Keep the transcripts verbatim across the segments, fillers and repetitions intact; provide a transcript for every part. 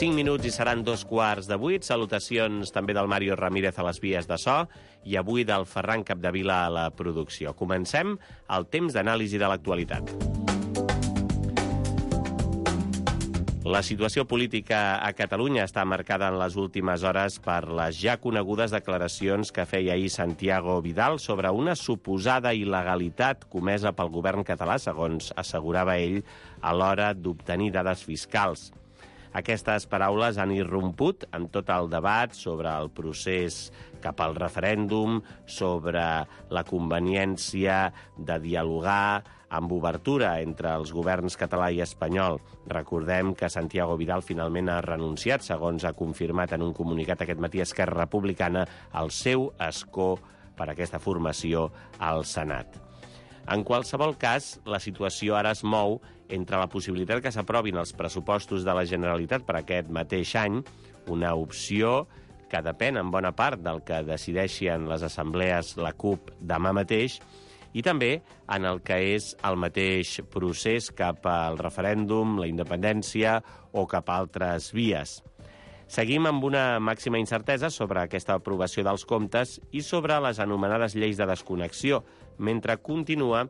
cinc minuts i seran dos quarts de vuit. Salutacions també del Mario Ramírez a les vies de so i avui del Ferran Capdevila a la producció. Comencem el temps d'anàlisi de l'actualitat. La situació política a Catalunya està marcada en les últimes hores per les ja conegudes declaracions que feia ahir Santiago Vidal sobre una suposada il·legalitat comesa pel govern català, segons assegurava ell, a l'hora d'obtenir dades fiscals. Aquestes paraules han irromput en tot el debat sobre el procés cap al referèndum, sobre la conveniència de dialogar amb obertura entre els governs català i espanyol. Recordem que Santiago Vidal finalment ha renunciat, segons ha confirmat en un comunicat aquest matí Esquerra Republicana, al seu escó per aquesta formació al Senat. En qualsevol cas, la situació ara es mou entre la possibilitat que s'aprovin els pressupostos de la Generalitat per aquest mateix any, una opció que depèn en bona part del que decideixen les assemblees la CUP demà mateix, i també en el que és el mateix procés cap al referèndum, la independència o cap a altres vies. Seguim amb una màxima incertesa sobre aquesta aprovació dels comptes i sobre les anomenades lleis de desconnexió, mentre continua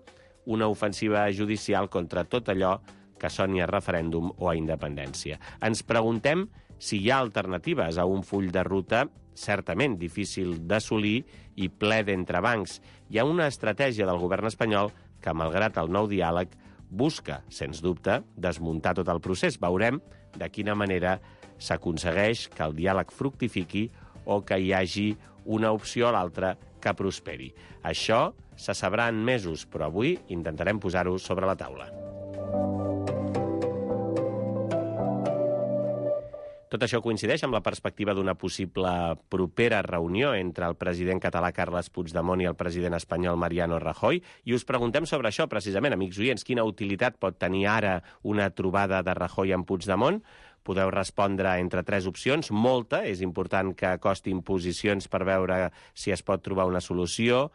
una ofensiva judicial contra tot allò que soni a referèndum o a independència. Ens preguntem si hi ha alternatives a un full de ruta certament difícil d'assolir i ple d'entrebancs. Hi ha una estratègia del govern espanyol que, malgrat el nou diàleg, busca, sens dubte, desmuntar tot el procés. Veurem de quina manera s'aconsegueix que el diàleg fructifiqui o que hi hagi una opció a l'altra que prosperi. Això se sabrà en mesos, però avui intentarem posar-ho sobre la taula. Tot això coincideix amb la perspectiva d'una possible propera reunió entre el president català Carles Puigdemont i el president espanyol Mariano Rajoy, i us preguntem sobre això, precisament, amics oients, quina utilitat pot tenir ara una trobada de Rajoy amb Puigdemont? Podeu respondre entre tres opcions. Molta, és important que acostin posicions per veure si es pot trobar una solució.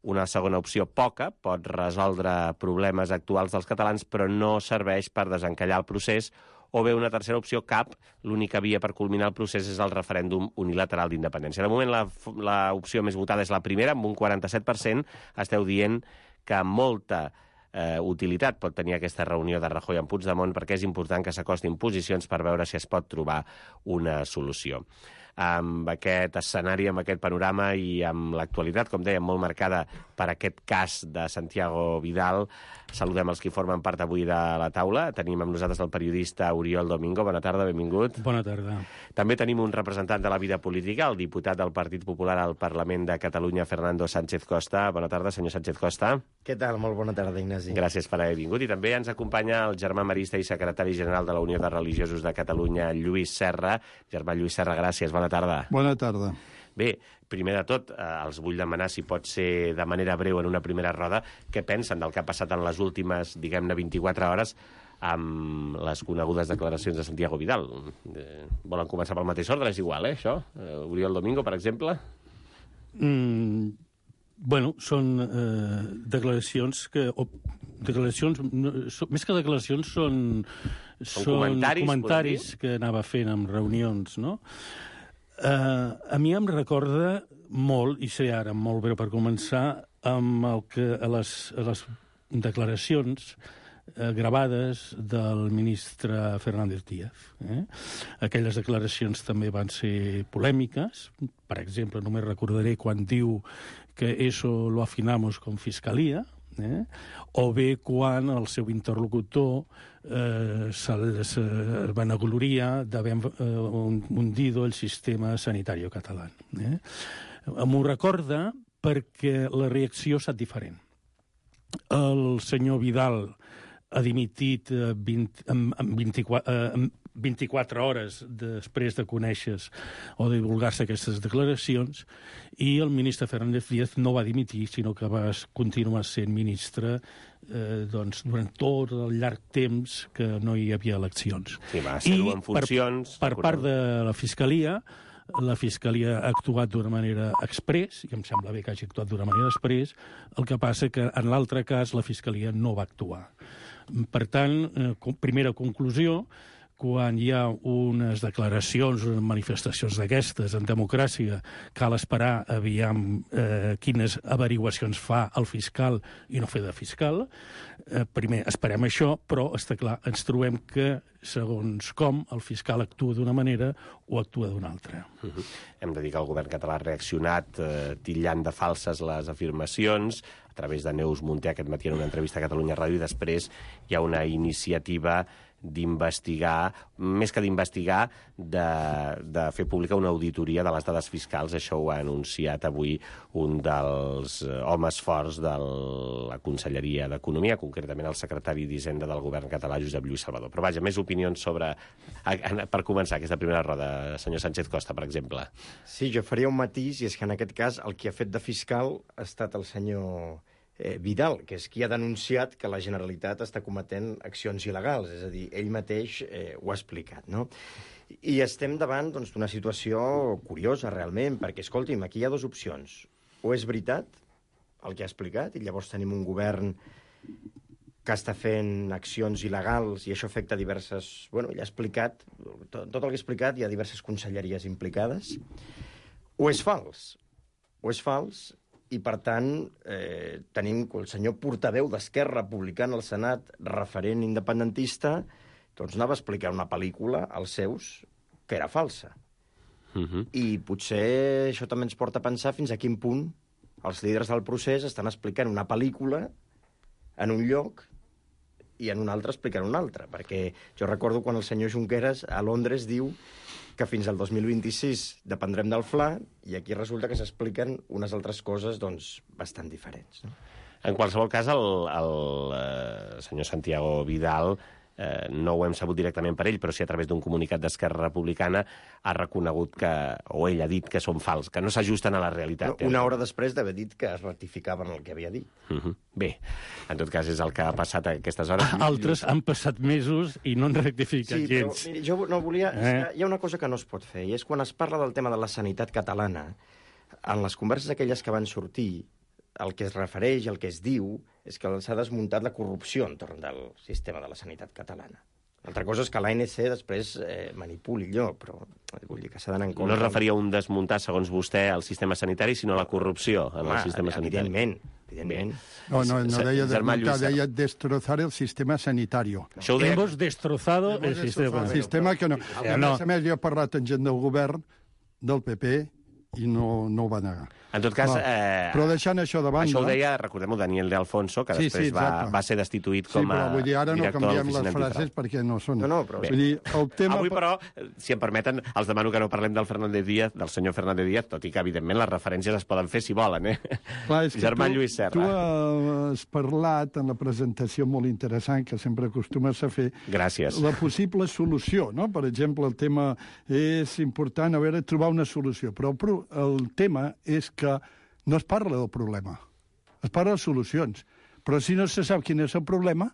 Una segona opció, poca, pot resoldre problemes actuals dels catalans, però no serveix per desencallar el procés. O bé una tercera opció, cap, l'única via per culminar el procés és el referèndum unilateral d'independència. De moment, la, la opció més votada és la primera, amb un quaranta-set per cent. Esteu dient que molta eh, utilitat pot tenir aquesta reunió de Rajoy amb Puigdemont, perquè és important que s'acostin posicions per veure si es pot trobar una solució. Amb aquest escenari, amb aquest panorama i amb l'actualitat, com dèiem, molt marcada per aquest cas de Santiago Vidal, saludem els que formen part avui de la taula. Tenim amb nosaltres el periodista Oriol Domingo. Bona tarda, benvingut. Bona tarda. També tenim un representant de la vida política, el diputat del Partit Popular al Parlament de Catalunya, Fernando Sánchez Costa. Bona tarda, senyor Sánchez Costa. Què tal? Molt bona tarda, Ignasi. Gràcies per haver vingut. I també ens acompanya el germà marista i secretari general de la Unió de Religiosos de Catalunya, Lluís Serra. Germà Lluís Serra, gràcies. Bona tarda. Bona tarda. Bé, primer de tot, eh, els vull demanar, si pot ser de manera breu en una primera roda, què pensen del que ha passat en les últimes, diguem-ne, vint-i-quatre hores amb les conegudes declaracions de Santiago Vidal. Eh, volen començar pel mateix ordre? És igual, eh, això? Eh, Oriol Domingo, per exemple? Mm, bueno, són eh, declaracions que... O, declaracions, no, so, més que declaracions, són, són, són comentaris, comentaris que anava fent en reunions, no? Uh, a mi em recorda molt, i seré ara molt breu per començar, amb el que a les, a les declaracions uh, gravades del ministre Fernández Díaz. Eh? Aquelles declaracions també van ser polèmiques. Per exemple, només recordaré quan diu que eso lo afinamos con fiscalía, eh? O bé quan el seu interlocutor eh, se, se vanagloria d'haver eh, hundido el sistema sanitari català. Eh? M'ho recorda perquè la reacció ha estat diferent. El senyor Vidal ha dimitit eh, vint, en, en vint-i-quatre, eh, en vint-i-quatre hores després de conèixer o de divulgar-se aquestes declaracions, i el ministre Fernández Díaz no va dimitir, sinó que va continuar sent ministre eh, doncs, durant tot el llarg temps que no hi havia eleccions. Sí, va ser-ho en funcions... Per, per part de la Fiscalia, la Fiscalia ha actuat d'una manera express, i em sembla bé que hagi actuat d'una manera express, el que passa que en l'altre cas la Fiscalia no va actuar. Per tant, eh, primera conclusió, quan hi ha unes declaracions, unes manifestacions d'aquestes en democràcia, cal esperar aviam eh, quines averiguacions fa el fiscal i no fer de fiscal. Eh, primer esperem això, però està clar, ens trobem que segons com el fiscal actua d'una manera o actua d'una altra. Uh-huh. Hem de dir que el govern català ha reaccionat eh, titllant de falses les afirmacions a través de Neus Munté aquest matí en una entrevista a Catalunya Ràdio, i després hi ha una iniciativa d'investigar, més que d'investigar, de, de fer pública una auditoria de les dades fiscals. Això ho ha anunciat avui un dels homes forts de la Conselleria d'Economia, concretament el secretari d'Hisenda del govern català, Josep Lluís Salvador. Però vaja, més opinions sobre... Per començar aquesta primera roda, senyor Sánchez Costa, per exemple. Sí, jo faria un matís, i és que en aquest cas el qui ha fet de fiscal ha estat el senyor eh, Vidal, que és qui ha denunciat que la Generalitat està cometent accions il·legals, és a dir, ell mateix eh, ho ha explicat, no? I estem davant doncs, d'una situació curiosa, realment, perquè, escolti'm, aquí hi ha dues opcions. O és veritat el que ha explicat, i llavors tenim un govern que està fent accions il·legals i això afecta diverses... Bueno, ja ha explicat, tot, tot el que ha explicat, hi ha diverses conselleries implicades. O és fals. O és fals, i per tant eh, tenim el senyor portaveu d'Esquerra Republicana al Senat, referent independentista, doncs anava a explicar una pel·lícula als seus que era falsa. Uh-huh. I potser això també ens porta a pensar fins a quin punt els líders del procés estan explicant una pel·lícula en un lloc i en un altre explicant un altre. Perquè jo recordo quan el senyor Junqueras a Londres diu que fins al dos mil vint-i-sis dependrem del Fla, i aquí resulta que s'expliquen unes altres coses doncs, bastant diferents. No? En qualsevol cas, el, el eh, senyor Santiago Vidal eh, no ho hem sabut directament per ell, però sí a través d'un comunicat d'Esquerra Republicana ha reconegut que, o ell ha dit que són fals, que no s'ajusten a la realitat. No, una hora després d'haver dit que es ratificaven el que havia dit. Uh-huh. Bé, en tot cas és el que ha passat a aquestes hores. Altres han passat mesos i no han rectificat sí, gens. Però, miri, jo no volia... Eh? Hi ha una cosa que no es pot fer, i és quan es parla del tema de la sanitat catalana, en les converses aquelles que van sortir, el que es refereix, el que es diu, és que s'ha desmuntat la corrupció entorn del sistema de la sanitat catalana. L'altra cosa és que l'A N C després eh, manipuli allò, però vull dir que s'ha d'anar en compte... No es referia a un desmuntar, segons vostè, al sistema sanitari, sinó a la corrupció en Home, el sistema sanitari. Evidentment, evidentment. No, no, no deia Germà desmuntar, Lluís deia destrozar el sistema sanitario. Això ho deia... Hemos destrozado el sistema. El sistema que no... A no. més a més, jo he parlat amb gent del govern, del P P, i no, no ho va negar. En tot cas... No, eh, però deixant això de banda... Això ho deia, recordem-ho, Daniel de Alfonso, que Sí, després sí, va, exacte. va ser destituït com Sí, a però vull dir, ara no director de canviem les l'Oficina frases Antifrau. perquè no són... No, no, però- Vull dir, el tema... Avui, però, si em permeten, els demano que no parlem del Fernández Díaz, del senyor Fernández Díaz, tot i que, evidentment, les referències es poden fer si volen, eh? Clar, és que Germà tu, Lluís Serra. Tu has parlat en la presentació molt interessant que sempre acostumes a fer. Gràcies. La possible solució, no? Per exemple, el tema és important, a veure, trobar una solució. Però el, pro- el tema és que no es parla del problema, es parla de solucions. Però si no se sap quin és el problema,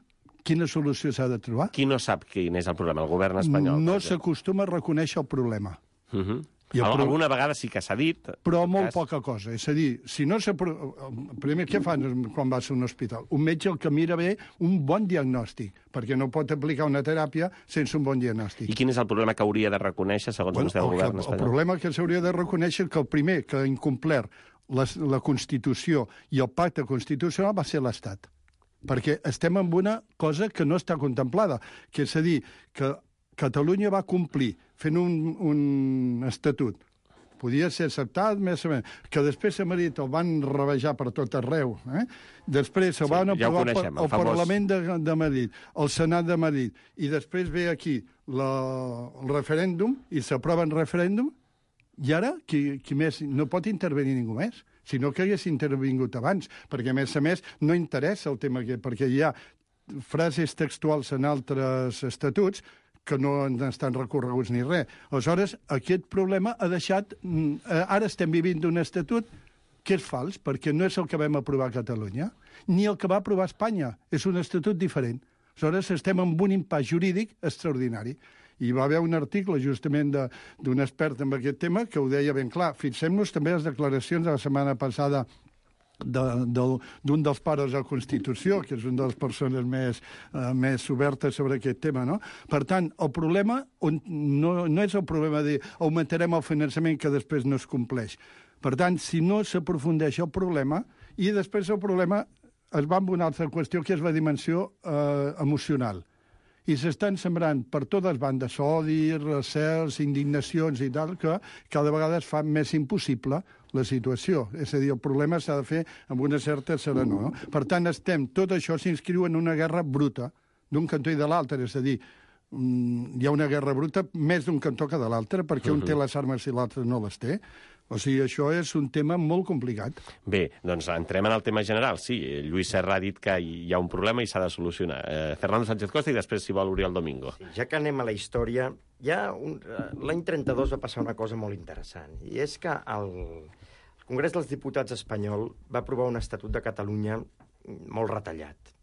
quina solució s'ha de trobar? Qui no sap quin és el problema? El govern espanyol. No per exemple. s'acostuma a reconèixer el problema. Uh -huh. I el Al- pro- Alguna vegada sí que s'ha dit. Però en tot molt cas. poca cosa. És a dir, si no s'ha... pro- Primer, què fan quan vas a un hospital? Un metge el que mira bé un bon diagnòstic, perquè no pot aplicar una teràpia sense un bon diagnòstic. I quin és el problema que hauria de reconèixer, segons Bueno, vostè, el el, govern que, el espanyol? problema que s'hauria de reconèixer que el primer que ha incomplert la, la Constitució i el pacte constitucional va ser l'Estat. Perquè estem en una cosa que no està contemplada, que és a dir, que Catalunya va complir fent un, un estatut. Podia ser acceptat, més o menys, que després a Madrid el van rebaixar per tot arreu. Eh? Després el Sí, van ja ho aprovar coneixem, per, el el famós- Parlament de, de Madrid, el Senat de Madrid, i després ve aquí la, el referèndum, i s'aprova en referèndum, i ara qui, qui més? No pot intervenir ningú més, sinó que hagués intervingut abans, perquè a més a més no interessa el tema aquest, perquè hi ha frases textuals en altres estatuts que no estan recorreguts ni res. Aleshores, aquest problema ha deixat... Ara estem vivint d'un estatut que és fals, perquè no és el que vam aprovar a Catalunya, ni el que va aprovar Espanya. És un estatut diferent. Aleshores, estem en un impàs jurídic extraordinari. I va haver un article justament d'un expert en aquest tema que ho deia ben clar. Fixem-nos també les declaracions de la setmana passada d'un de, de, dels pares de la Constitució, que és una de les persones més, uh, més obertes sobre aquest tema, no? Per tant, el problema on, no, no és el problema de augmentarem el finançament que després no es compleix. Per tant, si no s'aprofundeix el problema, i després el problema es va amb una altra qüestió, que és la dimensió eh, emocional. I s'estan sembrant per totes bandes odi, recels, indignacions i tal, que cada vegada es fa més impossible la situació. És a dir, el problema s'ha de fer amb una certa serenor. No? Per tant, estem, tot això s'inscriu en una guerra bruta, d'un cantó i de l'altre. És a dir, hi ha una guerra bruta més d'un cantó que de l'altre, perquè un té les armes i l'altre no les té. O sigui, això és un tema molt complicat. Bé, doncs entrem en el tema general. Sí, Lluís Serra ha dit que hi ha un problema i s'ha de solucionar. Eh, Fernando Sánchez Costa i després, si vol, Oriol Domingo. Sí, ja que anem a la història, ja un... l'any trenta-dos va passar una cosa molt interessant, i és que el, el Congrés dels Diputats espanyol va aprovar un Estatut de Catalunya molt retallat.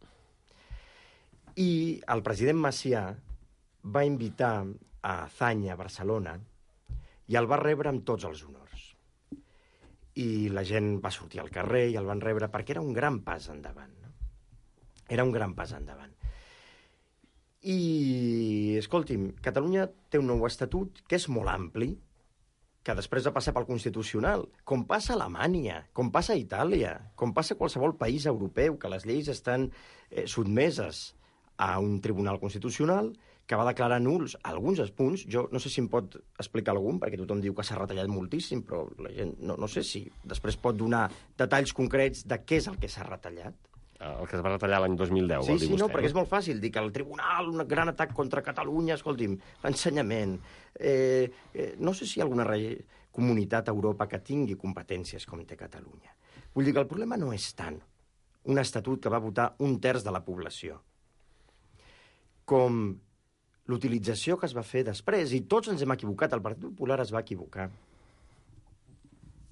I el president Macià va invitar a Zanya, a Barcelona, i el va rebre amb tots els honors. I la gent va sortir al carrer i el van rebre perquè era un gran pas endavant. No? Era un gran pas endavant. I, escolti'm, Catalunya té un nou estatut que és molt ampli, que després va passar pel Constitucional, com passa a Alemanya, com passa a Itàlia, com passa a qualsevol país europeu, que les lleis estan eh, sotmeses a un tribunal constitucional que va declarar nuls alguns punts. Jo no sé si em pot explicar algun, perquè tothom diu que s'ha retallat moltíssim, però la gent no, no sé si després pot donar detalls concrets de què és el que s'ha retallat. El que es va retallar l'any dos mil deu, sí, vol dir sí, vostè. Sí, no, perquè és molt fàcil dir que el tribunal, un gran atac contra Catalunya, escolti'm, l'ensenyament... Eh, eh, no sé si hi ha alguna re... comunitat a Europa que tingui competències com té Catalunya. Vull dir que el problema no és tant un estatut que va votar un terç de la població, com l'utilització que es va fer després, i tots ens hem equivocat, el Partit Popular es va equivocar.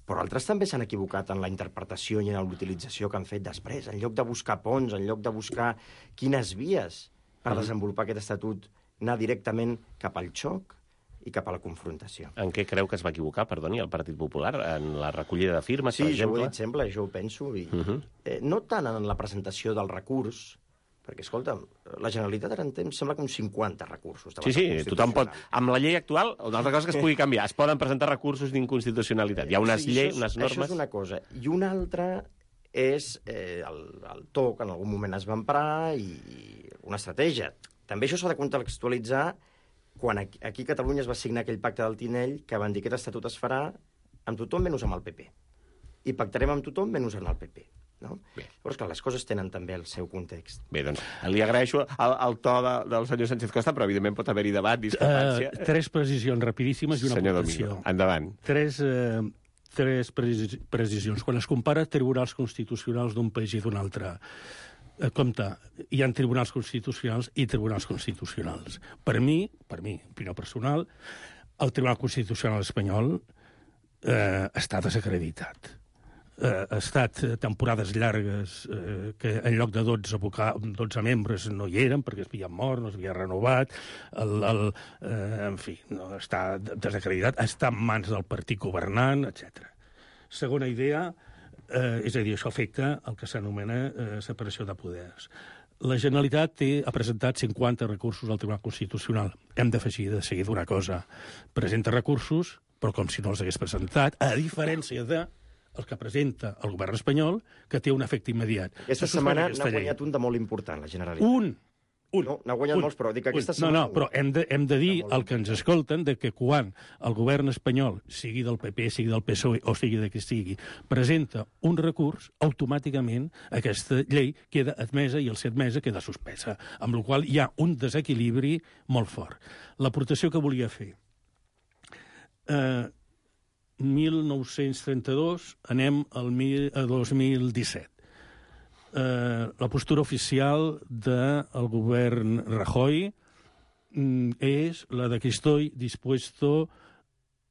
Però altres també s'han equivocat en la interpretació i en l'utilització que han fet després, en lloc de buscar ponts, en lloc de buscar quines vies per desenvolupar aquest estatut, anar directament cap al xoc i cap a la confrontació. En què creu que es va equivocar, perdoni, el Partit Popular? En la recollida de firmes, sí, per exemple? Sí, jo ho he dit sempre, jo ho penso. I, uh -huh. eh, no tant en la presentació del recurs, perquè, escolta'm, la Generalitat ara en té, em sembla que uns cinquanta recursos. Sí, sí, tothom pot... Amb la llei actual, una altra cosa que es pugui canviar, es poden presentar recursos d'inconstitucionalitat. Hi ha unes sí, lleis, és, unes normes... Això és una cosa. I una altra és eh, el, el to que en algun moment es va emprar i, i una estratègia. També això s'ha de contextualitzar quan aquí, aquí a Catalunya es va signar aquell pacte del Tinell que van dir que aquest estatut es farà amb tothom menys amb el P P. I pactarem amb tothom menys amb el P P. No? Llavors, clar, les coses tenen també el seu context. Bé, doncs, li agraeixo el, el to de, del senyor Sánchez Costa, però evidentment pot haver-hi debat, discrepància... Uh, tres precisions rapidíssimes i una senyor aportació. Domingo, endavant. Tres, uh, tres precisions. Quan es compara tribunals constitucionals d'un país i d'un altre, uh, compte, hi ha tribunals constitucionals i tribunals constitucionals. Per mi, per mi, opinió personal, el Tribunal Constitucional espanyol uh, està desacreditat. Eh, ha estat temporades llargues eh, que en lloc de dotze, abocar, dotze membres no hi eren perquè es havia mort, no s'havia renovat, el, el, eh, en fi, no, està desacreditat, està en mans del partit governant, etcètera. Segona idea, eh, és a dir, això afecta el que s'anomena eh, separació de poders. La Generalitat té, ha presentat cinquanta recursos al Tribunal Constitucional. Hem d'afegir de seguida una cosa. Presenta recursos, però com si no els hagués presentat, a diferència de el que presenta el govern espanyol, que té un efecte immediat. Aquesta setmana n'ha guanyat un de molt important, la Generalitat. Un! un no, n'ha guanyat un, molts, però dic que aquesta un. setmana... No, no, però hem de, hem de dir al que ens escolten de que quan el govern espanyol, sigui del P P, sigui del P S O E o sigui de qui sigui, presenta un recurs, automàticament aquesta llei queda admesa i el ser admesa queda suspesa, amb la qual hi ha un desequilibri molt fort. L'aportació que volia fer... Eh, mil nou-cents trenta-dos, anem al mil, a dos mil disset. Eh, la postura oficial del govern Rajoy mm, és la de que estoy dispuesto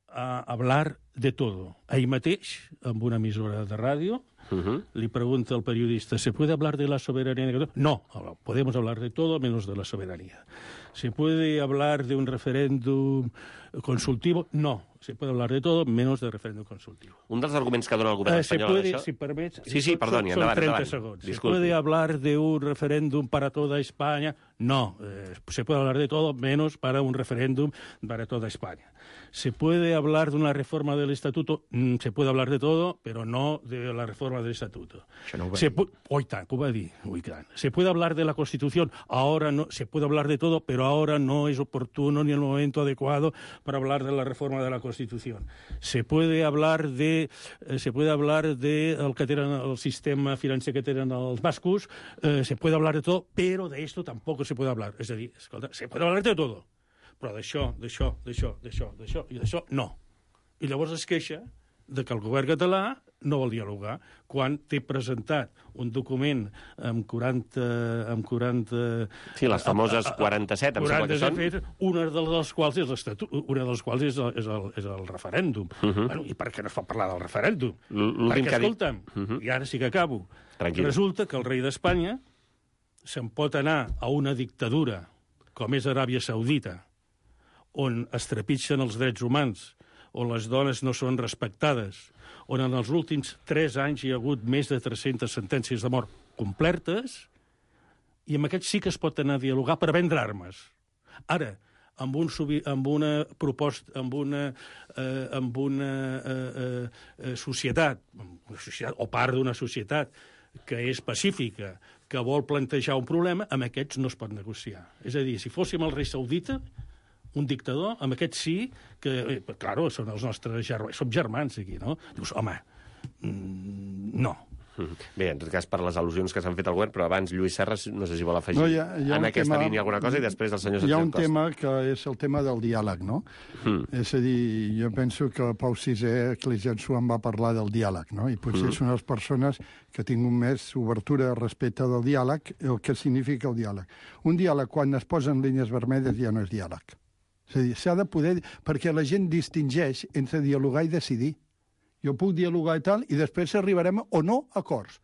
a hablar de todo. Ahí mateix, amb una emissora de ràdio, uh-huh. li pregunta al periodista, ¿se puede hablar de la soberanía? No, podemos hablar de todo menos de la soberanía. ¿Se puede hablar de un referéndum consultivo, no. Se puede hablar de todo, menos de referéndum consultivo. Un dels arguments que dona el govern Eh, espanyol... se puede, això... si permets... Sí, sí, perdoni, son endavant, treinta endavant. segundos. Disculpi. ¿Se puede hablar de un referéndum para toda España? No. Eh, se puede hablar de todo, menos para un referéndum para toda España. ¿Se puede hablar de una reforma del Estatuto? Mm, se puede hablar de todo, pero no de la reforma del Estatuto. Això no ho va Se dir. pu- Oi tant, que ho va dir. Ui, tant. Se puede hablar de la Constitución, ahora no, se puede hablar de todo, pero ahora no es oportuno ni el momento adecuado para hablar de la reforma de la Constitución. Se puede hablar de, eh, se puede hablar de el que tenen el sistema financer que tenen els bascos, eh, se puede hablar de todo, pero de esto tampoco se puede hablar. És a dir, escolta, se puede hablar de todo, però d'això, d'això, d'això, d'això, d'això i d'això, no. I llavors es queixa de que el govern català no vol dialogar quan té presentat un document amb quaranta... Amb quaranta Sí, les famoses quaranta-set, em sembla que són. quaranta una de les quals és l'estatut, una de les quals és el, és el, és el referèndum. Uh -huh. Bueno, i per què no es fa parlar del referèndum? L'últim Perquè, que ha dit- escolta'm, uh -huh. i ara sí que acabo, Tranquil. resulta que el rei d'Espanya se'n pot anar a una dictadura com és Aràbia Saudita, on es trepitgen els drets humans, on les dones no són respectades, on en els últims tres anys hi ha hagut més de tres-centes sentències de mort complertes, i amb aquests sí que es pot anar a dialogar per vendre armes. Ara, amb, un, amb una proposta, amb una, eh, amb una eh, eh, societat, una societat, o part d'una societat, que és pacífica, que vol plantejar un problema, amb aquests no es pot negociar. És a dir, si fóssim el rei saudita, un dictador, amb aquests sí, que, eh, claro, són els nostres germans, som germans aquí, no? Dius, home, mm, no. Bé, en tot cas, per les al·lusions que s'han fet al govern, però abans Lluís Serres, no sé si vol afegir No, hi ha- hi ha en un aquesta tema- línia alguna cosa, i després el senyor Hi ha Sánchez un Costa. tema que és el tema del diàleg, no? Mm. És a dir, jo penso que Pau sisè Ecclesiastes en va parlar del diàleg, no? I potser Mm. és una de les persones que tingut més obertura respecte del diàleg, el que significa el diàleg. Un diàleg, quan es posen línies vermelles, ja no és diàleg. És a dir, s'ha de poder... Perquè la gent distingeix entre dialogar i decidir. Jo puc dialogar i tal, i després arribarem o no a acords.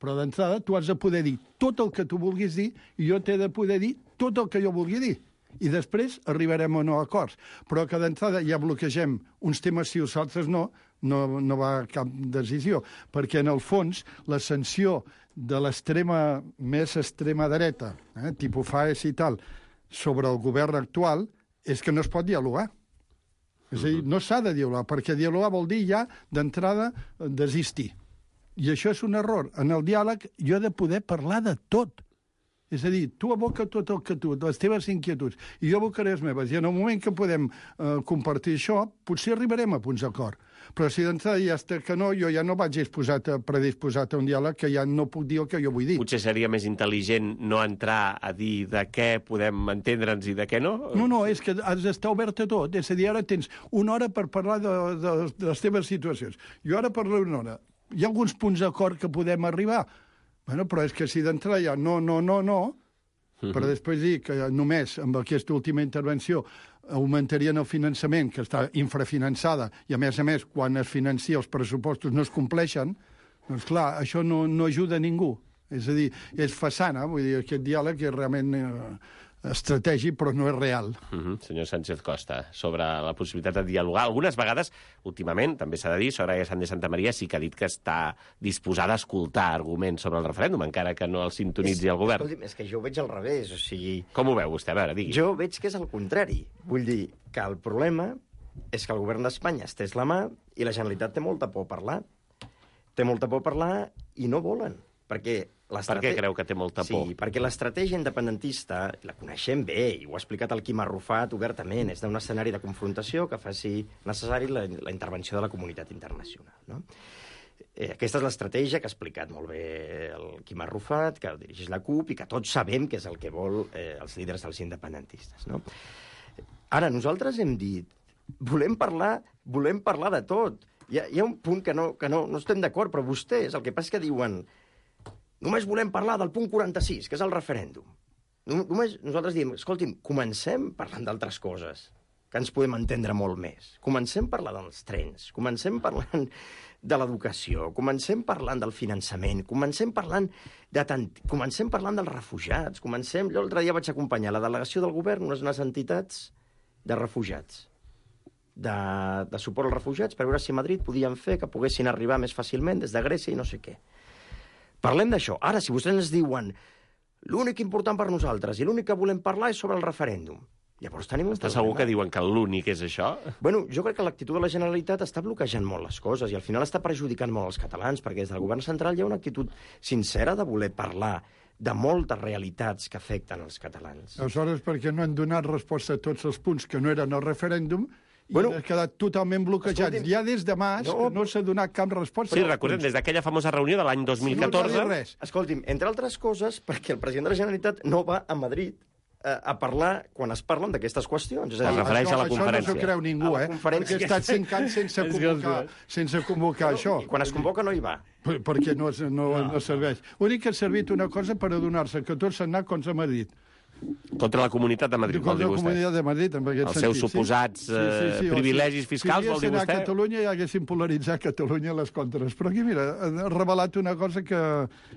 Però d'entrada tu has de poder dir tot el que tu vulguis dir i jo t'he de poder dir tot el que jo vulgui dir. I després arribarem o no a acords. Però que d'entrada ja bloquegem uns temes si els altres no, no, no va a cap decisió. Perquè en el fons la sanció de l'extrema, més extrema dreta, eh, tipus Faes i tal, sobre el govern actual és que no es pot dialogar. És a dir, no s'ha de dialogar, perquè dialogar vol dir ja d'entrada desistir. I això és un error. En el diàleg jo he de poder parlar de tot. És a dir, tu aboca tot el que tu, les teves inquietuds, i jo abocaré les meves. I en el moment que podem eh, compartir això, potser arribarem a punts d'acord. Però si d'entrada ja està que no, jo ja no vaig disposat a, predisposat a un diàleg que ja no puc dir el que jo vull dir. Potser seria més intel·ligent no entrar a dir de què podem entendre'ns i de què no? No, no, és que has d'estar obert a tot. És a dir, ara tens una hora per parlar de, de, de les teves situacions. Jo ara parlo una hora. Hi ha alguns punts d'acord que podem arribar. Bueno, però és que si d'entrada ja no, no, no, no, uh-huh. però després dir que només amb aquesta última intervenció augmentarien el finançament, que està infrafinançada, i a més a més, quan es financia els pressupostos no es compleixen, doncs clar, això no, no ajuda a ningú. És a dir, és façana, vull dir, aquest diàleg és realment eh, estratègic, però no és real. Uh -huh. Senyor Sánchez Costa, sobre la possibilitat de dialogar. Algunes vegades, últimament, també s'ha de dir, Soraya Sáenz de Santamaría sí que ha dit que està disposada a escoltar arguments sobre el referèndum, encara que no el sintonitzi és, el govern. Escolti'm, és que jo ho veig al revés, o sigui... Com ho veu vostè? A veure, digui. Jo veig que és el contrari. Vull dir que el problema és que el govern d'Espanya estès la mà i la Generalitat té molta por a parlar. Té molta por a parlar i no volen, perquè... Per què creu que té molta por? Sí, perquè l'estratègia independentista, la coneixem bé, i ho ha explicat el Quim Arrufat obertament, és d'un escenari de confrontació que faci necessari la, la intervenció de la comunitat internacional, no? Eh, aquesta és l'estratègia que ha explicat molt bé el Quim Arrufat, que dirigeix la CUP, i que tots sabem que és el que vol eh, els líders dels independentistes, no? Ara, nosaltres hem dit, volem parlar, volem parlar de tot. Hi ha, hi ha un punt que no, que no, no estem d'acord, però vostès, el que passa és que diuen només volem parlar del punt quaranta-sis, que és el referèndum. Només nosaltres diem, escolti'm, comencem parlant d'altres coses, que ens podem entendre molt més. Comencem parlant dels trens, comencem parlant de l'educació, comencem parlant del finançament, comencem parlant de tant, comencem parlant dels refugiats, comencem... Jo l'altre dia vaig acompanyar la delegació del govern, unes, unes entitats de refugiats. de, de suport als refugiats per veure si a Madrid podien fer que poguessin arribar més fàcilment des de Grècia i no sé què. Parlem d'això. Ara, si vostès ens diuen l'únic important per nosaltres i l'únic que volem parlar és sobre el referèndum, llavors tenim un Està problema. segur que diuen que l'únic és això? Bueno, jo crec que l'actitud de la Generalitat està bloquejant molt les coses i al final està perjudicant molt els catalans, perquè des del govern central hi ha una actitud sincera de voler parlar de moltes realitats que afecten els catalans. Aleshores, perquè no han donat resposta a tots els punts que no eren el referèndum, Bueno, i ha quedat totalment bloquejat. escolti'm, Ja des de març no, no, no s'ha donat cap resposta. Sí, recordem, des d'aquella famosa reunió de l'any dos mil catorze... No cal dir res. Escolti'm, entre altres coses, perquè el president de la Generalitat no va a Madrid a, a parlar quan es parlen d'aquestes qüestions. És a Es dir, refereix a la Això conferència. no s'ho creu ningú, A la eh? conferència. Perquè ha estat cinc anys sense convocar, sense convocar això. i quan es convoca no hi va. Per- Perquè no, es- no, no serveix. L'únic que ha servit una cosa per adonar-se que tot s'ha anat contra Madrid. Contra la Comunitat de Madrid, vol Contra dir la vostè. Comunitat de Madrid, en aquest Els sentit. seus suposats, eh, privilegis fiscals, si vol dir haguessin vostè? a Catalunya i haguessin polaritzat Catalunya les contres. Però aquí, mira, ha revelat una cosa que,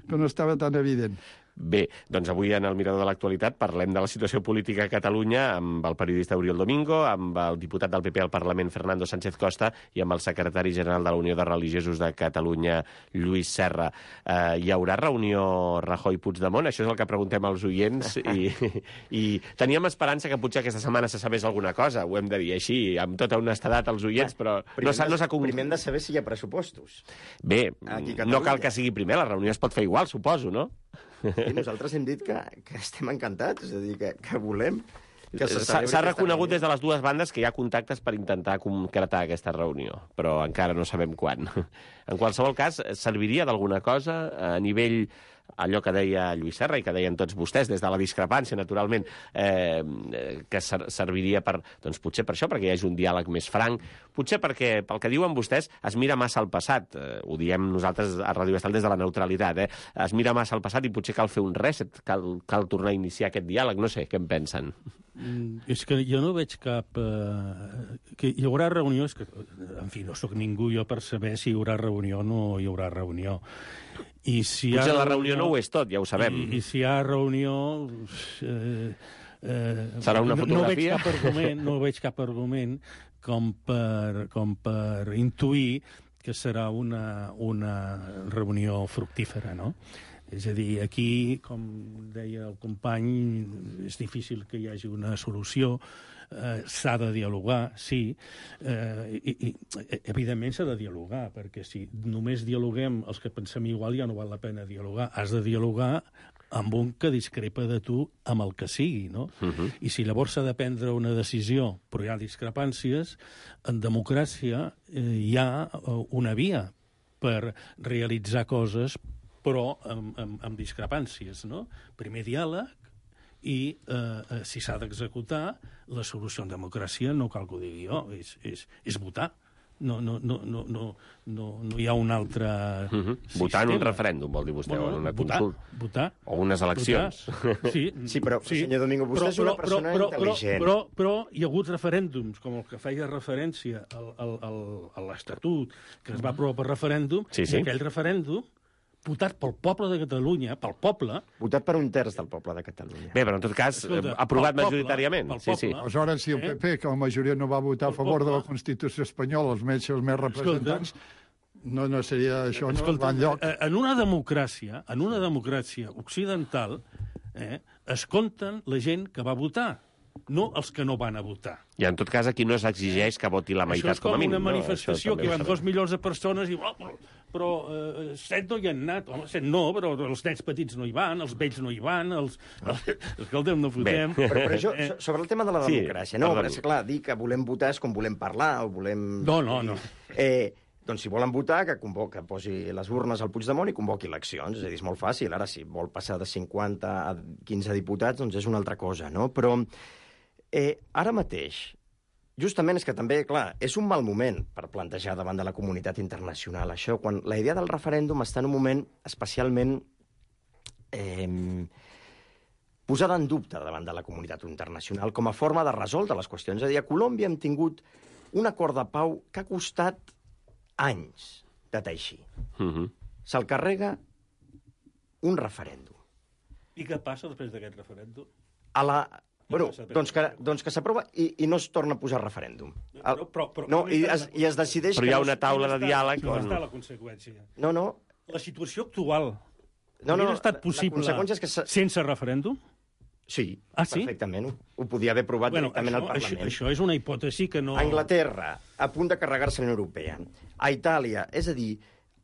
que no estava tan evident. Bé, doncs avui en el Mirador de l'Actualitat parlem de la situació política a Catalunya amb el periodista Oriol Domingo, amb el diputat del P P al Parlament Fernando Sánchez Costa i amb el secretari general de la Unió de Religiosos de Catalunya, Lluís Serra. Eh, hi haurà reunió Rajoy-Puigdemont? Això és el que preguntem als oients i, i teníem esperança que potser aquesta setmana se sabés alguna cosa, ho hem de dir així, amb tota honestedat als oients, però no s'ha no s'ha concret. Primer hem de saber si hi ha pressupostos. Bé, Aquí a no cal Catalunya. que sigui primer, la reunió es pot fer igual, suposo, no? I nosaltres hem dit que, que estem encantats, és a dir, que, que volem que se S'ha celebri s'ha aquesta reconegut reunió. des de les dues bandes que hi ha contactes per intentar concretar aquesta reunió, però encara no sabem quan. En qualsevol cas, serviria d'alguna cosa a nivell allò que deia Lluís Serra i que deien tots vostès, des de la discrepància, naturalment, eh, que ser serviria per, doncs potser per això, perquè hi hagi un diàleg més franc, potser perquè, pel que diuen vostès, es mira massa al passat. Eh, ho diem nosaltres a Ràdio Estel des de la neutralitat, eh? Es mira massa al passat i potser cal fer un reset, cal, cal tornar a iniciar aquest diàleg. No sé, què en pensen? Mm, és que jo no veig cap... Eh, que hi haurà reunió, és que, en fi, no sóc ningú jo per saber si hi haurà reunió o no hi haurà reunió. I si hi ha Potser la reunió no ho és tot, ja ho sabem. I, i si hi ha reunió... Eh, eh, Serà una no, no veig fotografia? cap argument, no veig cap argument com per, com per intuir que serà una, una reunió fructífera, no? És a dir, aquí, com deia el company, és difícil que hi hagi una solució, eh, s'ha de dialogar, sí, eh, i, i evidentment s'ha de dialogar, perquè si només dialoguem els que pensem igual ja no val la pena dialogar. Has de dialogar amb un que discrepa de tu amb el que sigui, no? Uh-huh. I si llavors s'ha de prendre una decisió, però hi ha discrepàncies, en democràcia eh, hi ha una via per realitzar coses però amb, amb, amb discrepàncies, no? Primer diàleg i, eh, si s'ha d'executar, la solució en democràcia, no cal que ho digui jo, és, és, és votar. No, no, no, no, no, no, no hi ha un altre Uh -huh. sistema. Votar en un referèndum, vol dir vostè, Bueno, o en una votar, consulta. votar. O unes eleccions. Votar. Sí, Sí, però, senyor Domingo, vostè és una persona però, intel·ligent. Però, però, però hi ha hagut referèndums, com el que feia referència al, al, al, a l'Estatut, que es va aprovar per referèndum, Sí, sí. i aquell referèndum, votat pel poble de Catalunya, pel poble... Votat per un terç del poble de Catalunya. Bé, però en tot cas, Escolta, eh, aprovat pel poble, majoritàriament. pel Sí, sí. poble. Aleshores, si el P P, que la majoria no va votar a favor de la Constitució espanyola, els més, els més representants, no, no seria això, no Escolta, va enlloc. eh, en una democràcia, en una democràcia occidental, eh, es compten la gent que va votar, no els que no van a votar. I en tot cas aquí no s'exigeix que voti la Això meitat és com com a mínim. una no? manifestació Això també que hi ho van sabem. dos milions de persones i... Oh, però però eh, set no hi han anat. Home, set no, però els nens petits no hi van, els vells no hi van, els... Escolta'm, no fotem. Però, però això, so- sobre el tema de la Sí, democràcia, no, perdoni. és clar, dir que volem votar és com volem parlar, o volem... No, no, no. Eh, doncs si volen votar, que, convoca, que posi les urnes al Puigdemont i convoqui eleccions. És a dir, és molt fàcil. Ara, si vol passar de cinquanta a quinze diputats, doncs és una altra cosa, no? Però eh, ara mateix, justament és que també, clar, és un mal moment per plantejar davant de la comunitat internacional això, quan la idea del referèndum està en un moment especialment eh, posada en dubte davant de la comunitat internacional com a forma de resoldre les qüestions. És a dir, a Colòmbia hem tingut un acord de pau que ha costat anys de teixir. Uh -huh. Se'l carrega un referèndum. I què passa després d'aquest referèndum? A la Bueno, doncs que, doncs que s'aprova i, i no es torna a posar referèndum. El, Però, però, però, no, i es, i es decideix... Però hi ha que no una es- taula de diàleg On on... està la conseqüència? No, no, La situació actual no, no, hauria estat la possible conseqüència és que s'ha- sense referèndum? sí, Ah, sí? perfectament. Ho, ho podia haver aprovat Bueno, directament això, al això, Parlament. això és una hipòtesi que no... A Anglaterra, a punt de carregar-se la Unió Europea. A Itàlia, és a dir,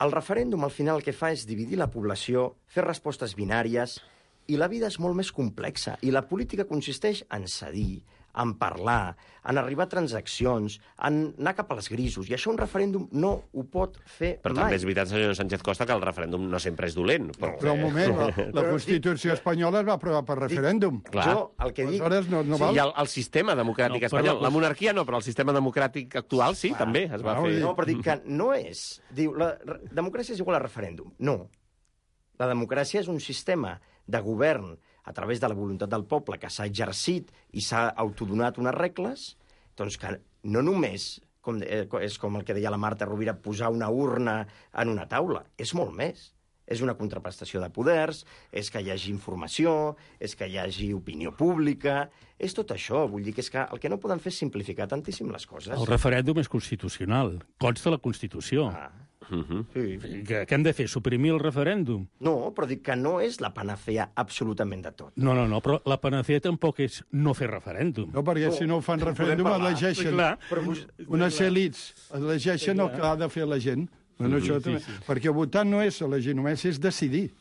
el referèndum al final el que fa és dividir la població, fer respostes binàries, i la vida és molt més complexa. I la política consisteix en cedir, en parlar, en arribar a transaccions, en anar cap als grisos. I això un referèndum no ho pot fer Però mai. també és veritat, senyor Sánchez Costa, que el referèndum no sempre és dolent. Però, Però un moment, la, la Però Constitució espanyola es va aprovar per referèndum. Clar. Jo el que dic... Aleshores no, no Sí, val. i el, el sistema democràtic No, però espanyol. la- La monarquia no, però el sistema democràtic actual sí, Clar. també es va Clar, fer. vull dir- No, però dic que no és... Diu, la re- democràcia és igual a referèndum. No. La democràcia és un sistema de govern a través de la voluntat del poble que s'ha exercit i s'ha autodonat unes regles, doncs que no només, com, de- eh, és com el que deia la Marta Rovira, posar una urna en una taula. És molt més. És una contraprestació de poders, és que hi hagi informació, és que hi hagi opinió pública... És tot això. Vull dir que és que el que no poden fer és simplificar tantíssim les coses. El referèndum és constitucional, consta la Constitució. Ah, Mhm. sí. Què, què hem de fer, suprimir el referèndum? No, però dic que no és la panacea absolutament de tot. No, no, no, però la panacea tampoc és no fer referèndum. No, perquè si no ho fan referèndum, parlar. elegeixen. Clar. Però vos... Unes elites elegeixen el que ha de fer la gent. Bueno, això també. Perquè votar no és elegir només, és decidir.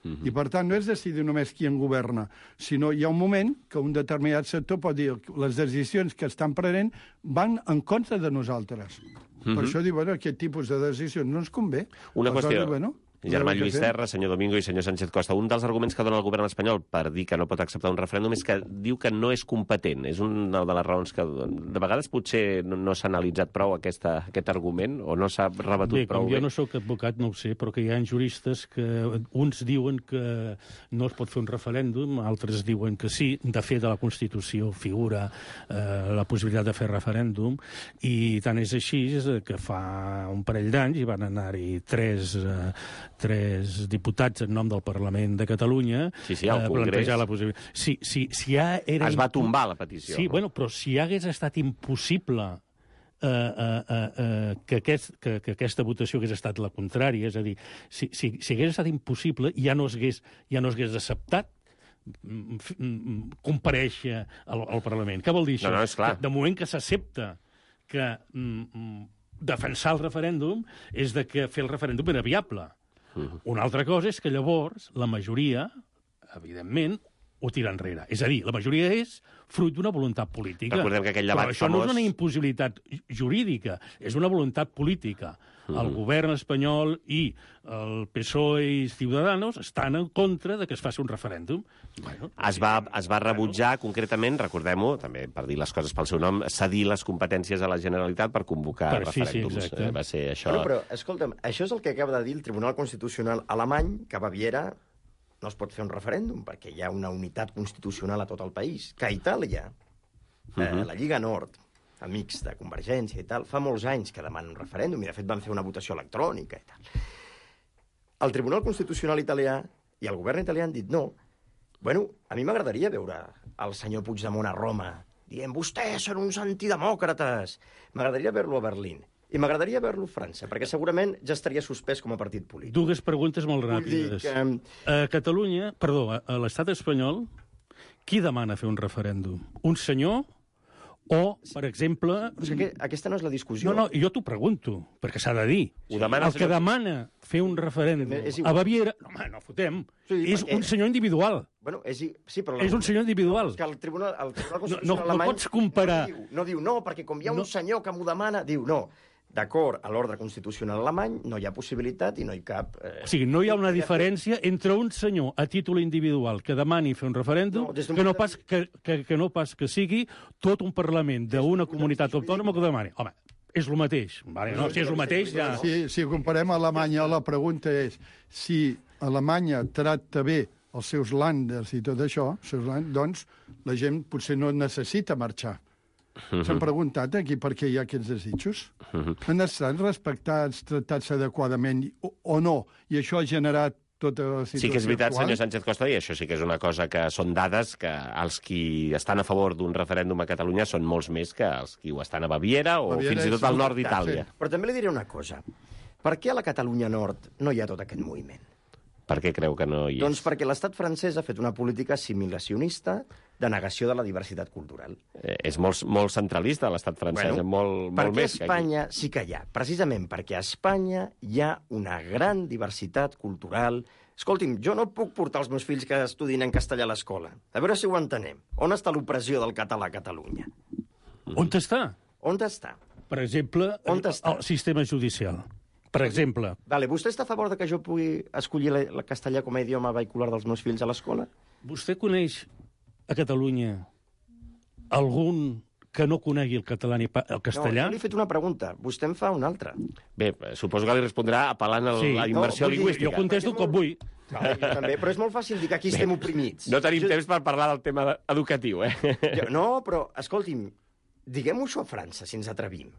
I, per tant, no és decidir només qui en governa, sinó hi ha un moment que un determinat sector pot dir que les decisions que estan prenent van en contra de nosaltres. Per això diu, bueno, aquest tipus de decisions no ens convé. Una Aleshores, qüestió. bueno, Germà el que Lluís fem. Serra, senyor Domingo i senyor Sánchez Costa, un dels arguments que dona el govern espanyol per dir que no pot acceptar un referèndum és que diu que no és competent. És una de les raons que... De vegades potser no, no s'ha analitzat prou aquesta, aquest argument o no s'ha rebatut Bé, prou com bé. jo no sóc advocat, no ho sé, però que hi ha juristes que uns diuen que no es pot fer un referèndum, altres diuen que sí. De fet, a la Constitució figura eh, la possibilitat de fer referèndum, i tant és així que fa un parell d'anys hi van anar-hi tres, eh, tres diputats en nom del Parlament de Catalunya Sí, sí, al a Congrés. plantejar la possibilitat. Sí, sí, si ja era Es va impo- tombar la petició. Sí, bueno, però si hagués estat impossible eh, eh, eh, eh, que, aquest, que, que aquesta votació hagués estat la contrària, és a dir, si, si, si hagués estat impossible, ja no s'hagués ja no s'hagués acceptat mm, f- mm, comparèixer al, al Parlament. Què vol dir això? No, no, és clar. Que de moment que s'accepta que mm, mm, defensar el referèndum és de que fer el referèndum era viable. Mhm. Una altra cosa és que llavors la majoria, evidentment, ho tira enrere. És a dir, la majoria és fruit d'una voluntat política. Recordem que aquell debat Però això famós- no és una impossibilitat jurídica, és una voluntat política. El govern espanyol i el P S O E i Ciudadanos estan en contra de que es faci un referèndum. Bueno, Es va, es va rebutjar, concretament, recordem-ho, també per dir les coses pel seu nom, cedir les competències a la Generalitat per convocar Per- sí, sí, referèndums. exacte. Eh, va ser això... Bueno, però, escolta'm, això és el que acaba de dir el Tribunal Constitucional alemany, que a Baviera no es pot fer un referèndum, perquè hi ha una unitat constitucional a tot el país. Que a Itàlia, eh, la Lliga Nord, amics de Convergència i tal, fa molts anys que demanen un referèndum, i de fet van fer una votació electrònica i tal. El Tribunal Constitucional italià i el govern italià han dit no. Bueno, a mi m'agradaria veure el senyor Puigdemont a Roma dient vostès són uns antidemòcrates. M'agradaria veure-lo a Berlín. I m'agradaria veure-lo a França, perquè segurament ja estaria suspès com a partit polític. dues preguntes molt Vull dir ràpides. que- A Catalunya, perdó, a a l'estat espanyol, qui demana fer un referèndum? Un senyor o, per exemple... Però és que aqu- aquesta no és la discussió. No, no, jo t'ho pregunto, perquè s'ha de dir. Ho demana el el que senyor- demana fer un referèndum És igual. a Baviera... No, home, no fotem. Sí, és perquè- un senyor individual. Bueno, és, i- sí, però... la- És un senyor individual. És que el Tribunal, el Tribunal No, Constitucional no, no alemany... pots comparar. No diu, no diu, no, perquè com hi ha un No. senyor que m'ho demana, diu, no, d'acord, a l'ordre constitucional alemany no hi ha possibilitat i no hi cap... Eh... O sigui, no hi ha una diferència entre un senyor a títol individual que demani fer un referèndum No, des d'un que, no punt de pas, que, que, que no pas que sigui tot un Parlament d'una comunitat autònoma que ho demani. Home, és el mateix. Vale, no, si és el mateix, ja... Si, si comparem Alemanya, la pregunta és si Alemanya tracta bé els seus landers i tot això, els seus land, doncs la gent potser no necessita marxar. S'han preguntat aquí per què hi ha aquests desitjos? Han estat respectats, tractats adequadament o, o no? I això ha generat tota la situació Sí que és veritat, actual. senyor Sánchez Costa, i això sí que és una cosa que són dades que els qui estan a favor d'un referèndum a Catalunya són molts més que els qui ho estan a Baviera o Baviera fins i tot és al nord un- d'Itàlia. sí. Però també li diré una cosa. Per què a la Catalunya Nord no hi ha tot aquest moviment? Per què creu que no hi és? Doncs perquè l'estat francès ha fet una política assimilacionista de negació de la diversitat cultural. Eh, és molt, molt centralista l'estat francès, Bueno, eh? molt, per molt què a més que aquí. Espanya sí que hi ha? Precisament perquè a Espanya hi ha una gran diversitat cultural. Escolti'm, jo no puc portar els meus fills que estudin en castellà a l'escola. A veure si ho entenem. On està l'opressió del català a Catalunya? On està? On està? Per exemple, On està? el sistema judicial. Per exemple, Vale, vostè està a favor de que jo pugui escollir la, la castellà com a idioma vehicular dels meus fills a l'escola? vostè coneix a Catalunya algun que no conegui el català ni pa- el castellà? No, jo li he fet una pregunta. Vostè em fa una altra. Bé, suposo que li respondrà apel·lant a Sí. la immersió No, vull dir, lingüística. Jo contesto com vull. Vale, jo també, però és molt fàcil dir que aquí estem oprimits. No tenim jo, temps per parlar del tema educatiu, eh? Jo, no, però, escolti'm, diguem-ho això a França, si ens atrevim.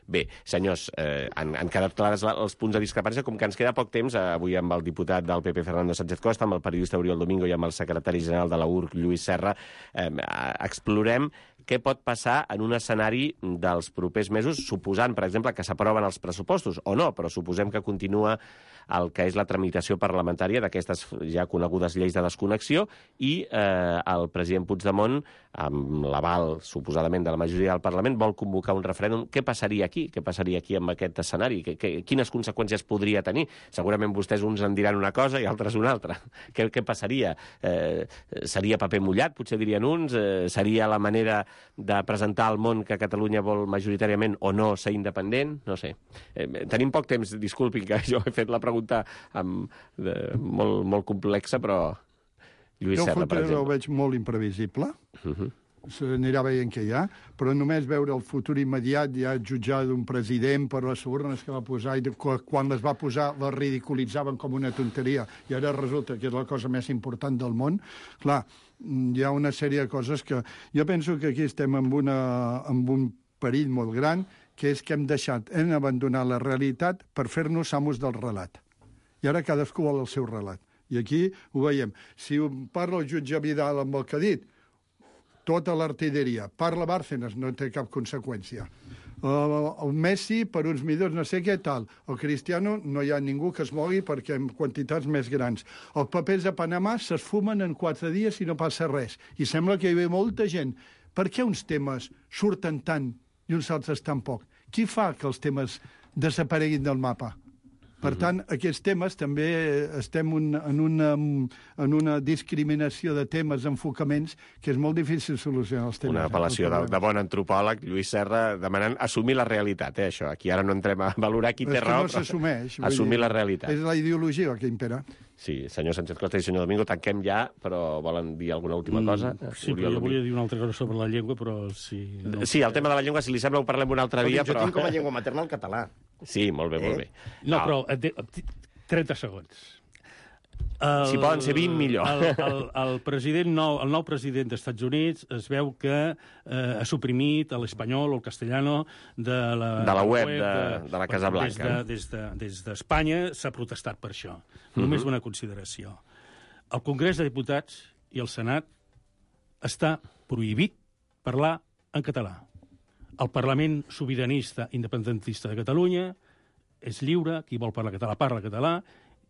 Bé, senyors, eh, han, han quedat clars la- els punts de discrepància, com que ens queda poc temps, eh, avui amb el diputat del P P, Fernando Sánchez Costa, amb el periodista Oriol Domingo i amb el secretari general de la U R C, Lluís Serra, eh, explorem què pot passar en un escenari dels propers mesos, suposant, per exemple, que s'aproven els pressupostos, o no, però suposem que continua el que és la tramitació parlamentària d'aquestes ja conegudes lleis de desconnexió i eh, el president Puigdemont, amb l'aval, suposadament, de la majoria del Parlament, vol convocar un referèndum. Què passaria aquí? Què passaria aquí amb aquest escenari? Que, que, quines conseqüències podria tenir? Segurament vostès uns en diran una cosa i altres una altra. Què, què passaria? Eh, seria paper mullat, potser dirien uns? Eh, seria la manera de presentar al món que Catalunya vol majoritàriament o no ser independent? No sé. Eh, tenim poc temps, disculpin que jo he fet la pregunta amb, de, molt, molt complexa, però Lluís Jo el Serra, per futur el exemple. veig molt imprevisible. Uh -huh. S'anirà veient què hi ha, però només veure el futur immediat, ja jutjar d'un president per les urnes que va posar, i de, quan les va posar les ridiculitzaven com una tonteria, i ara resulta que és la cosa més important del món. Clar, hi ha una sèrie de coses que... Jo penso que aquí estem amb, una, amb un perill molt gran, que és que hem deixat, hem abandonat la realitat per fer-nos amos del relat. I ara cadascú vol el seu relat. I aquí ho veiem. Si parla el jutge Vidal amb el que ha dit, tota l'artilleria. Parla Bárcenas, no té cap conseqüència. Uh, el Messi, per uns milions, no sé què, tal. El Cristiano, no hi ha ningú que es mogui perquè en quantitats més grans. Els papers de Panamà s'esfumen en quatre dies i no passa res. I sembla que hi ha molta gent. Per què uns temes surten tant i uns altres tan poc? Qui fa que els temes desapareguin del mapa? Per tant, aquests temes també estem un, en, una, en una discriminació de temes, enfocaments, que és molt difícil solucionar els temes. Una apel·lació de, de bon antropòleg, Lluís Serra, demanant assumir la realitat, eh, això. Aquí ara no entrem a valorar qui té És que raó, no s'assumeix. vull assumir dir, la realitat. És la ideologia que impera. Sí, senyor Sánchez Costa i senyor Domingo, tanquem ja, però volen dir alguna última cosa? Mm, sí, Oriol però jo Domingo. volia dir una altra cosa sobre la llengua, però si... No... Sí, el tema de la llengua, si li sembla, ho parlem un altre dia, Jo però... tinc com a llengua materna el català. Sí, molt bé, molt bé. No, però et de- trenta segons. El, Si poden ser vint, millor. El, el, el, president nou, el nou president dels Estats Units es veu que eh, ha suprimit l'espanyol o el castellano de la, De la web de- de la Casa Blanca. Des d'Espanya de, des de, s'ha protestat per això. Només Mhm. una consideració. El Congrés de Diputats i el Senat està prohibit parlar en català. El Parlament sobiranista independentista de Catalunya és lliure, qui vol parlar català parla català,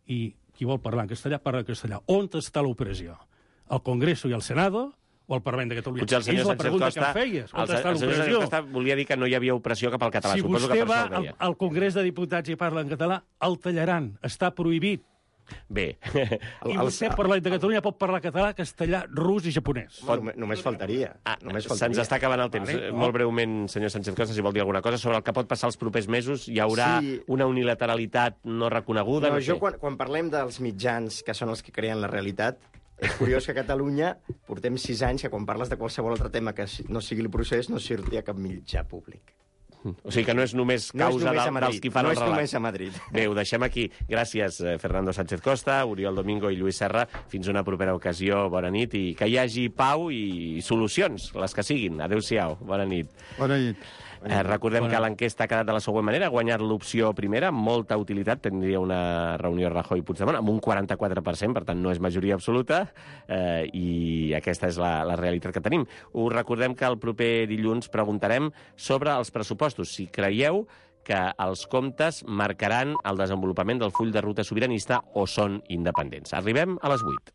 i qui vol parlar en castellà parla en castellà. On està l'opressió? Al Congreso i al Senado o al Parlament de Catalunya? Potser el senyor és la Sánchez pregunta Costa... que em feies. On el, està el senyor Sánchez l'opressió? Costa volia dir que no hi havia opressió cap al català. Si Suposo vostè que per va això el al, deia. al Congrés de Diputats i parla en català, el tallaran. Està prohibit. Bé. I vostè, Parlament de Catalunya, pot parlar català, castellà, rus i japonès. Home, només, només faltaria. Ah, només se'ns faltaria. està acabant el temps. Vale, no. Molt breument, senyor Sánchez Costa, si vol dir alguna cosa sobre el que pot passar els propers mesos. Hi haurà Sí. una unilateralitat no reconeguda? No, No, jo sé. quan, quan parlem dels mitjans, que són els que creen la realitat, és curiós que a Catalunya portem sis anys que quan parles de qualsevol altre tema que no sigui el procés no surti a cap mitjà públic. O sigui que no és només No és causa només a del, Madrid, dels qui fan no el és relat. només a Madrid. Bé, ho deixem aquí. Gràcies, eh, Fernando Sánchez Costa, Oriol Domingo i Lluís Serra. Fins una propera ocasió. Bona nit i que hi hagi pau i solucions, les que siguin. Adéu-siau. Bona nit. Bona nit. Eh, recordem bueno. que l'enquesta ha quedat de la següent manera. Ha guanyat l'opció primera, amb molta utilitat. Tindria una reunió Rajoy-Puigdemont amb un quaranta-quatre per cent, per tant no és majoria absoluta, eh, i aquesta és la, la realitat que tenim. Us recordem que el proper dilluns preguntarem sobre els pressupostos. Si creieu que els comptes marcaran el desenvolupament del full de ruta sobiranista o són independents. Arribem a les vuit.